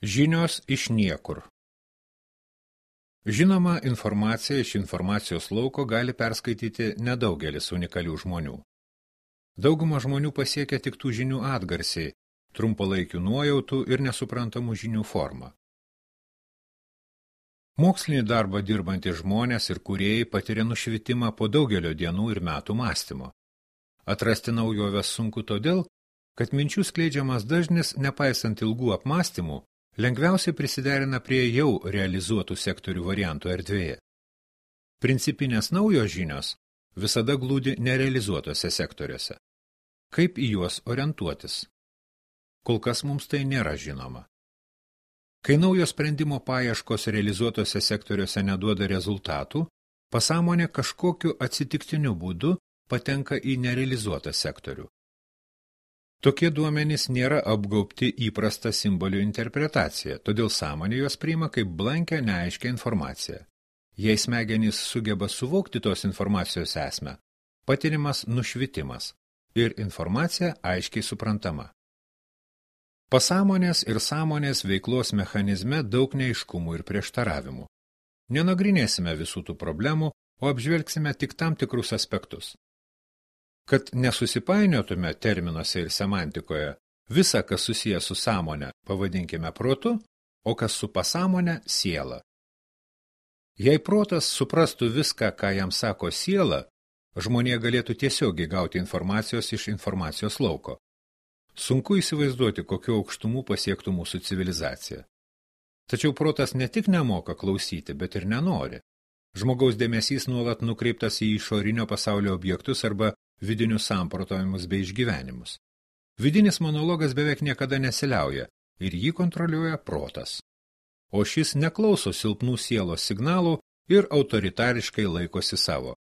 Žinios iš niekur. Žinoma, informaciją iš informacijos lauko gali perskaityti nedaugelis unikalių žmonių. Dauguma žmonių pasiekia tik tų žinių atgarsiai, trumpalaikių nuojautų ir nesuprantamų žinių formą. Mokslinį darbą dirbantys žmonės ir kūrėjai patiria nušvitimą po daugelio dienų ir metų mąstymo. Atrasti naujoves sunku todėl, kad minčių skleidžiamas dažnis, nepaisant ilgų apmąstymų, lengviausiai prisiderina prie jau realizuotų sektorių variantų erdvėje. Principinės naujos žinios visada glūdi nerealizuotose sektoriuose. Kaip į juos orientuotis? Kol kas mums tai nėra žinoma. Kai naujo sprendimo paieškos realizuotose sektoriuose neduoda rezultatų, pasąmonė kažkokiu atsitiktiniu būdu patenka į nerealizuotą sektorių. Tokie duomenys nėra apgaubti įprasta simbolių interpretacija, todėl sąmonė juos priima kaip blankę, neaiškę informaciją. Jei smegenys sugeba suvokti tos informacijos esmę, patiriamas nušvitimas ir informacija aiškiai suprantama. Pasąmonės ir sąmonės veiklos mechanizme daug neaiškumų ir prieštaravimų. Nenagrinėsime visų tų problemų, o apžvelgsime tik tam tikrus aspektus. Kad nesusipainiotume terminuose ir semantikoje, visa, kas susiję su sąmonė, pavadinkime protu, o kas su pasąmonė – siela. Jei protas suprastų viską, ką jam sako siela, žmonė galėtų tiesiogiai gauti informacijos iš informacijos lauko. Sunku įsivaizduoti, kokiu aukštumų pasiektų mūsų civilizacija. Tačiau protas ne tik nemoka klausyti, bet ir nenori. Žmogaus dėmesys nuolat nukreiptas į išorinio pasaulio objektus arba vidinius samprotavimus bei išgyvenimus. Vidinis monologas beveik niekada nesiliauja ir jį kontroliuoja protas. O šis neklauso silpnų sielos signalų ir autoritariškai laikosi savo.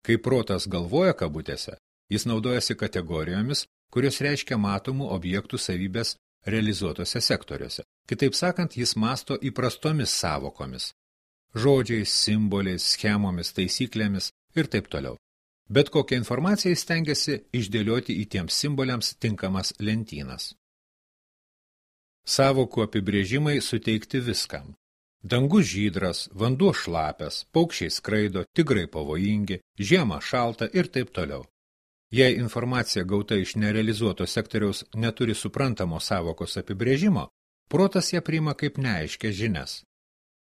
Kai protas galvoja kabutėse, jis naudojasi kategorijomis, kurios reiškia matomų objektų savybės realizuotose sektoriuose. Kitaip sakant, jis masto įprastomis savokomis. Žodžiais, simboliais, schemomis, taisyklėmis ir taip toliau. Bet kokią informaciją stengiasi išdėlioti į tiems simboliams tinkamas lentynas. Sąvokų apibrėžimai suteikti viskam. Dangus žydras, vanduo šlapias, paukščiai skraido, tigrai pavojingi, žiema šalta ir taip toliau. Jei informacija gauta iš nerealizuoto sektoriaus neturi suprantamo sąvokos apibrėžimo, protas ją priima kaip neaiškias žinias.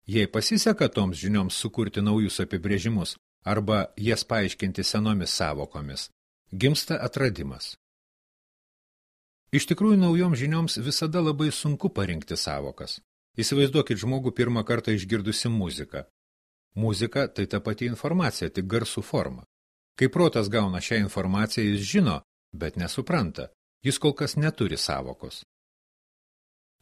Jei pasiseka toms žinioms sukurti naujus apibrėžimus, arba jas paaiškinti senomis sąvokomis, gimsta atradimas. Iš tikrųjų, naujoms žinioms visada labai sunku parinkti sąvokas. Įsivaizduokit žmogų pirmą kartą išgirdusi muziką. Muzika tai ta pati informacija, tik garsų forma. Kai protas gauna šią informaciją, jis žino, bet nesupranta. Jis kol kas neturi sąvokos.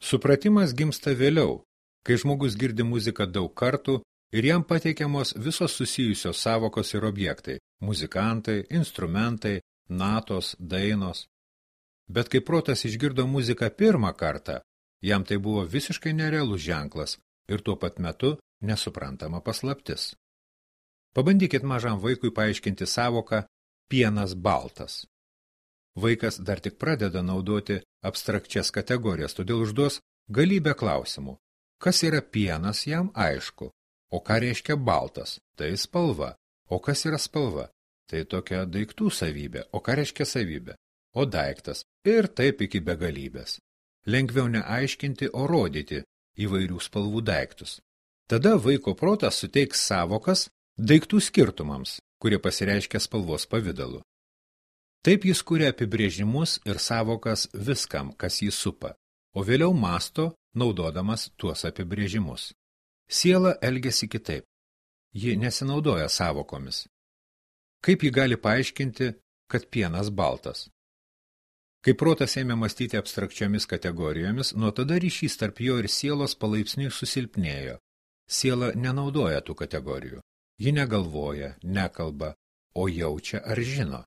Supratimas gimsta vėliau, kai žmogus girdi muziką daug kartų, ir jam pateikiamos visos susijusios sąvokos ir objektai – muzikantai, instrumentai, natos, dainos. Bet kai protas išgirdo muziką pirmą kartą, jam tai buvo visiškai nerealus ženklas ir tuo pat metu nesuprantama paslaptis. Pabandykit mažam vaikui paaiškinti sąvoką pienas baltas. Vaikas dar tik pradeda naudoti abstrakčias kategorijas, todėl užduos galybę klausimų. Kas yra pienas, jam aišku. O ką reiškia baltas? Tai spalva. O kas yra spalva? Tai tokia daiktų savybė. O ką reiškia savybė? O daiktas. Ir taip iki begalybės. Lengviau neaiškinti, o rodyti įvairių spalvų daiktus. Tada vaiko protas suteiks sąvokas daiktų skirtumams, kurie pasireiškia spalvos pavidalu. Taip jis kuria apibrėžimus ir sąvokas viskam, kas jį supa, o vėliau masto, naudodamas tuos apibrėžimus. Siela elgiasi kitaip. Ji nesinaudoja sąvokomis. Kaip ji gali paaiškinti, kad pienas baltas? Kai protas ėmė mąstyti abstrakčiomis kategorijomis, nuo tada ryšys tarp jo ir sielos palaipsniui susilpnėjo. Siela nenaudoja tų kategorijų. Ji negalvoja, nekalba, o jaučia ar žino.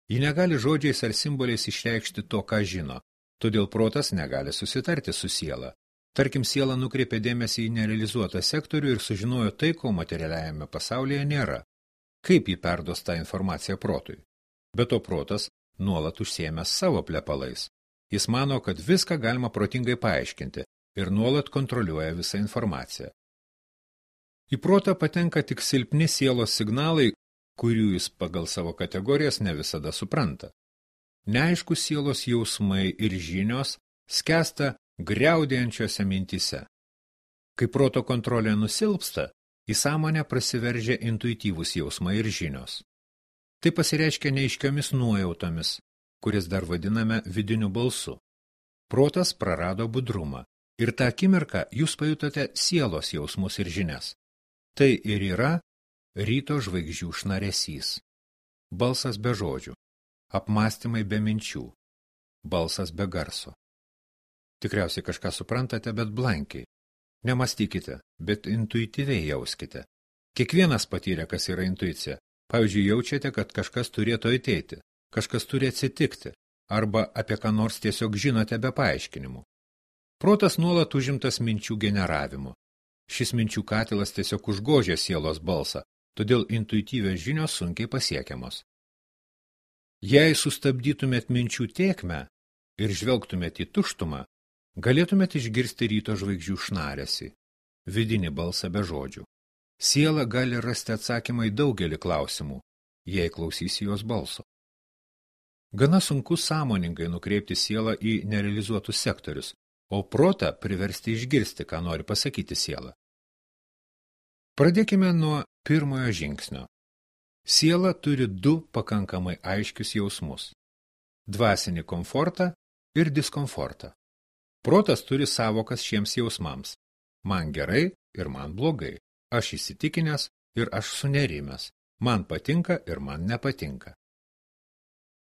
Ji negali žodžiais ar simboliais išreikšti to, ką žino, todėl protas negali susitarti su siela. Tarkim, siela nukreipė dėmesį į nerealizuotą sektorių ir sužinojo tai, ko materialiajame pasaulyje nėra. Kaip ji perduos tą informaciją protui? Be to protas nuolat užsiėmęs savo plepalais. Jis mano, kad viską galima protingai paaiškinti, ir nuolat kontroliuoja visą informaciją. Į protą patenka tik silpni sielos signalai, kurių jis pagal savo kategorijas ne visada supranta. Neaiškus sielos jausmai ir žinios skęsta griaudėjančiose mintyse. Kai proto kontrolė nusilpsta, į sąmonę prasiveržia intuityvūs jausmai ir žinios. Tai pasireiškia neaiškiomis nuojautomis, kuris dar vadiname vidiniu balsu. Protas prarado budrumą ir tą akimirką jūs pajutote sielos jausmus ir žinias. Tai ir yra ryto žvaigždžių šnaresys. Balsas be žodžių, apmąstymai be minčių, balsas be garso. Tikriausiai kažką suprantate, bet blankiai. Nemastykite, bet intuityviai jauskite. Kiekvienas patyrė, kas yra intuicija. Pavyzdžiui, jaučiate, kad kažkas turėtų ateiti, kažkas turi atsitikti, arba apie ką nors tiesiog žinote be paaiškinimų. Protas nuolat užimtas minčių generavimu. Šis minčių katilas tiesiog užgožia sielos balsą, todėl intuityvios žinios sunkiai pasiekiamos. Jei sustabdytumėt minčių tėkmę ir žvelgtumėt į tuštumą, galėtumėt išgirsti ryto žvaigždžių šnaresį, vidinį balsą be žodžių. Siela gali rasti atsakymą į daugelį klausimų, jei klausysi jos balso. Gana sunku sąmoningai nukreipti sielą į nerealizuotus sektorius, o protą priversti išgirsti, ką nori pasakyti siela. Pradėkime nuo pirmojo žingsnio. Siela turi du pakankamai aiškius jausmus – dvasinį komfortą ir diskomfortą. Protas turi sąvokas šiems jausmams – man gerai ir man blogai, aš įsitikinęs ir aš sunerimęs, man patinka ir man nepatinka.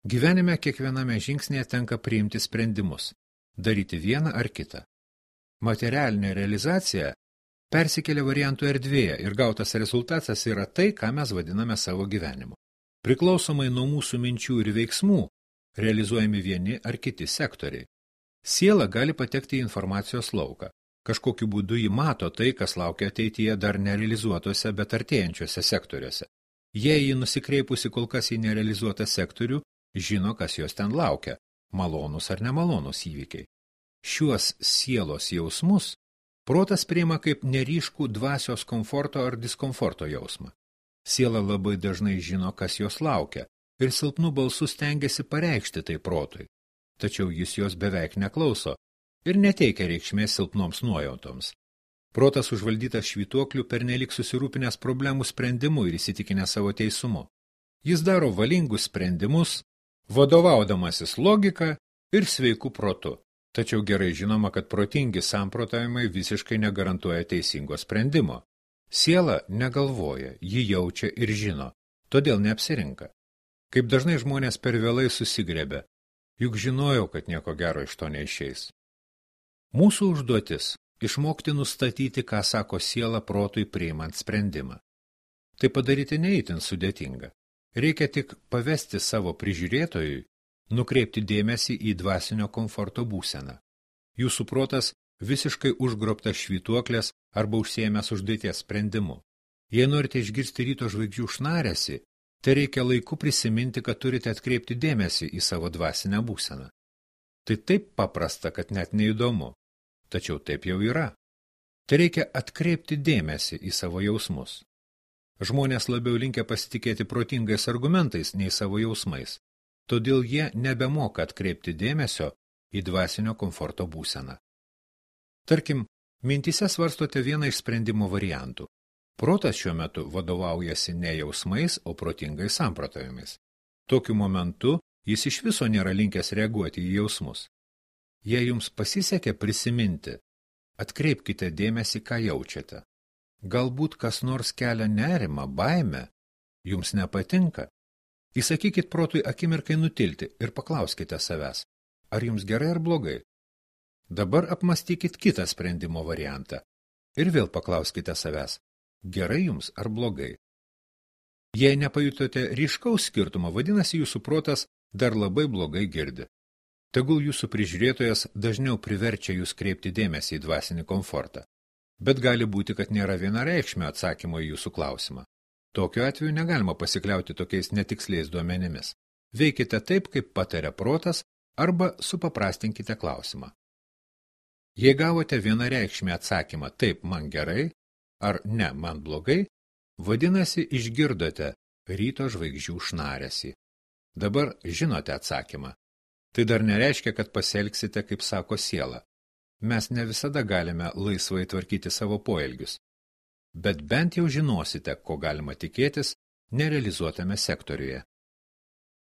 Gyvenime kiekviename žingsnėje tenka priimti sprendimus, daryti vieną ar kitą. Materialinė realizacija persikelia variantų erdvėje ir gautas rezultatas yra tai, ką mes vadiname savo gyvenimu. Priklausomai nuo mūsų minčių ir veiksmų realizuojami vieni ar kiti sektoriai. Siela gali patekti į informacijos lauką. Kažkokiu būdu ji mato tai, kas laukia ateityje dar nerealizuotose, bet artėjančiuose sektoriuose. Jei ji nusikreipusi kol kas į nerealizuotą sektorių, žino, kas jos ten laukia, malonus ar nemalonus įvykiai. Šiuos sielos jausmus protas priima kaip neryškų dvasios komforto ar diskomforto jausmą. Siela labai dažnai žino, kas jos laukia, ir silpnų balsų stengiasi pareikšti tai protui. Tačiau jis jos beveik neklauso ir neteikia reikšmės silpnoms nuojautoms. Protas užvaldytas švytuoklių pernelyg susirūpinęs problemų sprendimu ir įsitikinęs savo teisumu. Jis daro valingus sprendimus, vadovaudamasis logika ir sveiku protu. Tačiau gerai žinoma, kad protingi samprotavimai visiškai negarantuoja teisingo sprendimo. Siela negalvoja, ji jaučia ir žino, todėl neapsirinka. Kaip dažnai žmonės per vėlai susigrebia, juk žinojau, kad nieko gero iš to neišeis. Mūsų užduotis – išmokti nustatyti, ką sako siela protui priimant sprendimą. Tai padaryti neįtin sudėtinga. Reikia tik pavesti savo prižiūrėtojui, nukreipti dėmesį į dvasinio komforto būseną. Jūsų protas visiškai užgrobtas švytuoklės arba užsiėmęs užduoties sprendimu. Jei norite išgirsti ryto žvaigždžių šnaresį, tai reikia laiku prisiminti, kad turite atkreipti dėmesį į savo dvasinę būseną. Tai taip paprasta, kad net neįdomu. Tačiau taip jau yra. Tai reikia atkreipti dėmesį į savo jausmus. Žmonės labiau linkę pasitikėti protingais argumentais nei savo jausmais. Todėl jie nebemoka atkreipti dėmesio į dvasinio komforto būseną. Tarkim, mintyse svarstote vieną iš sprendimo variantų. Protas šiuo metu vadovaujasi ne jausmais, o protingais samprotavimais. Tokiu momentu jis iš viso nėra linkęs reaguoti į jausmus. Jei jums pasisekė prisiminti, atkreipkite dėmesį, ką jaučiate. Galbūt kas nors kelia nerimą, baimę, jums nepatinka. Įsakykit protui akimirkai nutilti ir paklauskite savęs, ar jums gerai ar blogai. Dabar apmastykit kitą sprendimo variantą ir vėl paklauskite savęs, gerai jums ar blogai. Jei nepajutote ryškaus skirtumo, vadinasi jūsų protas dar labai blogai girdi. Tegul jūsų prižiūrėtojas dažniau priverčia jūs kreipti dėmesį į dvasinį komfortą, bet gali būti, kad nėra vienareikšmio atsakymo į jūsų klausimą. Tokiu atveju negalima pasikliauti tokiais netiksliais duomenimis. Veikite taip, kaip pataria protas, arba supaprastinkite klausimą. Jei gavote vienareikšmį atsakymą taip, man gerai, ar ne, man blogai, vadinasi, išgirdote ryto žvaigždžių šnaresį. Dabar žinote atsakymą. Tai dar nereiškia, kad pasielgsite, kaip sako siela. Mes ne visada galime laisvai tvarkyti savo poelgius. Bet bent jau žinosite, ko galima tikėtis nerealizuotame sektoriuje.